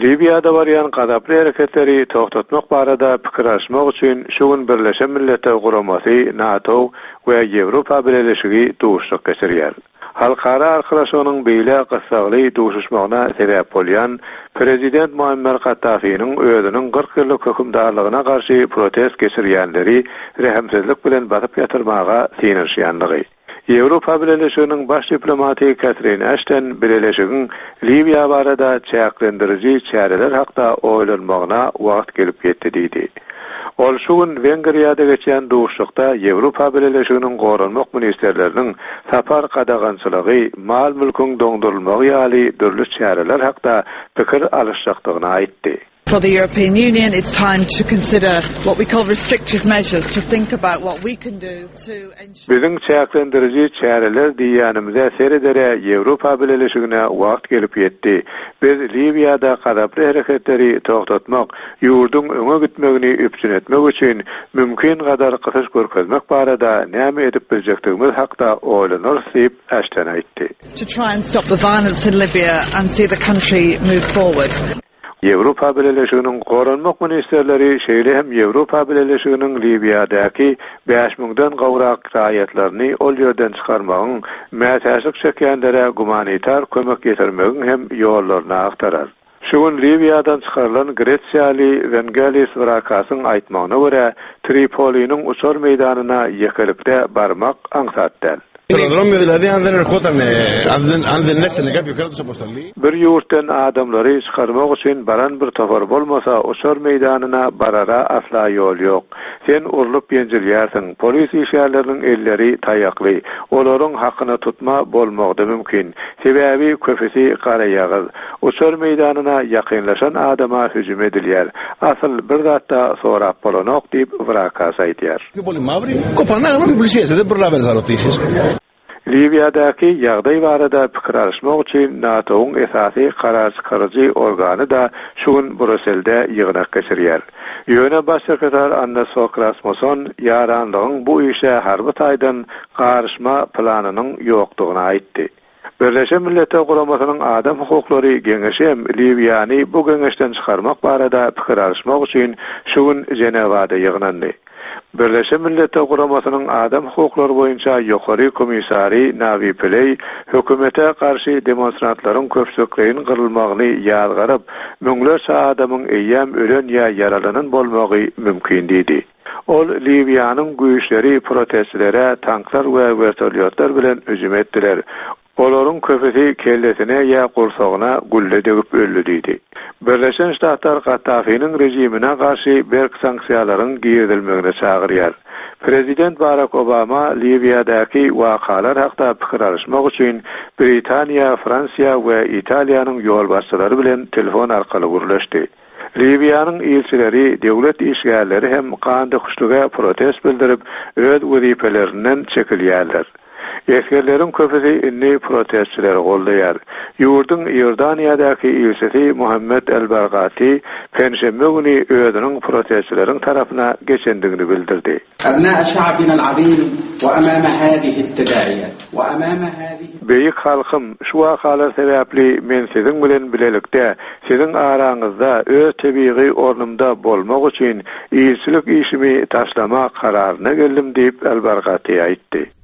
Liwiýada barýan gazaply hereketleri togtatmak barada pikir alyşmak üçin şu gün Birleşen Milletler Guramasy, NATO we Ýewropa Bileleşigi duşuşyk geçirýär. Halkara arkalaşygynyň beýle gyssagly duşuşmagyna sebäp bolýan prezident Muammer Kaddafiniň özüniň 40 ýyllyk hökümdarlygyna garşy protest geçirýänleri rehimsizlik bilen basyp ýatyrmaga synanyşýanlygy. Ýewropa Bileleşiginiň baş diplomaty Katrin Aşton Bileleşigiň Liwiýa barada çäklendiriji çäreler hakda oýlanmagyna wagt gelip ýetdi diýdi. Ol şu gün Wengriýada geçýän duşuşykda Ýewropa Bileleşiginiň goranmak ministrleriniň sapar gadagançylygy, mal-mülküň doňdurylmagy ýaly dürli çäreler hakda pikir alyşjakdygyny aýtdy. For the European Union it's time to consider what we call restrictive measures, to think about what we can do to ensure. Biziň çäklendiriji çäreler diýýänimize seredere Ýewropa Bileleşigine wagt gelip ýetdi. Biz Liwiýada gazaply hereketleri togtatmak, ýurduň öňe gitmegini üpjün etmek üçin mümkin gadar gysyş görkezmek barada näme edip biljekdigimiz hakda oýlanarys diýip, Aşton aýtdy. To try and stop the violence in Libya and see the country move forward. Ýewropa Bileleşiginiň Goranmak ministrleri şeýle hem Ýewropa Bileleşiginiň Liwiýadaky bäş müňden gowrak raýatlaryny ol ýerden çykarmagyň, mätäçlik çekýänlere gumanitar kömek ýetirmegiň hem ýollaryny agtarar. Şu gün Liwiýadan çykarylan gresiýaly Wengelis Wrakasyň aýtmagyna görä, Tripoliniň uçar meýdanyna ýekelikde barmak aňsat däl. Bir ýurtdan adamlary çykarmak üçin baran bir topar bolmasa, uçar meýdanyna barara asla ýol ýok. Sen urlup-ýenjilýärsiň, polis işgärleriniň elleri taýakly, olaryň hakyna tutma bolmagy-da mümkin. Sebäbi köpüsi garaýagyz. Uçar meýdanyna ýakynlaşan adama hüjüm edilýär. Asyl bir zat-da sorap bolanok diýip, Wrakas aýdýar. Liwiýadaky ýagdaý barada pikir alyşmak üçin NATO-yň esasy karar çykaryjy organy-da şu gün Bruselde ýygnak geçirýär. Ýöne Baş sekretar Anders Fog Rasmussen ýaranlygyň bu işe harby taýdan garyşma planynyň ýokdugyny aýtdy. Birleşen Milletler Guramasynyň Adam hukuklary geňeşi hem Liwiýany bu geňeşden çykarmak barada pikir alyşmak üçin şu gün Ženewada ýygnandy. Birleşen Milletler Guramasynyň Adam hukuklary boýunça ýokary komissary Nawi Pileý hökümete garşy demonstrantlaryň köpçülikleýin gyrylmagyny ýazgaryp, müňlerçe adamyň eýýäm ölen ýa ýaralanan bolmagy mümkin diýdi. Ol Liwiýanyň güýçleri protestçilere tanklar we wertolýotlar bilen hüjüm etdiler. Olaryň köpüsi kellesine ýa gursagyna gülle degip öldi diýdi. Birleşen Ştatlar Kaddafiniň režimine garşy berk sanksiýalaryň girizilmegine çagyrýar. Prezident Barak Obama Liwiýadaky wakalar hakda pikir alyşmak üçin Britaniýa, Fransiýa we Italiýanyň ýolbaşçylary bilen telefon arkaly gürleşdi. Liwiýanyň ilçileri, döwlet işgärleri hem gandöküşlige protest bildirip, öz wezipelerinden çekilýärler. Esgerleriň köpüsi indi protestçileri goldaýar. Ýurduň Iordaniýadaky ilçisi Muhammed El-Bargati penşenbe güni özüniň protestçileriň tarapyna geçendigini bildirdi. Beýik halkym, şu wakalar sebäpli men siziň bilen bilelikde, siziň araňyzda öz tebigy ornumda bolmak üçin ilçilik işimi taşlama kararyna geldim diýip, Al-Bargati aýtdy.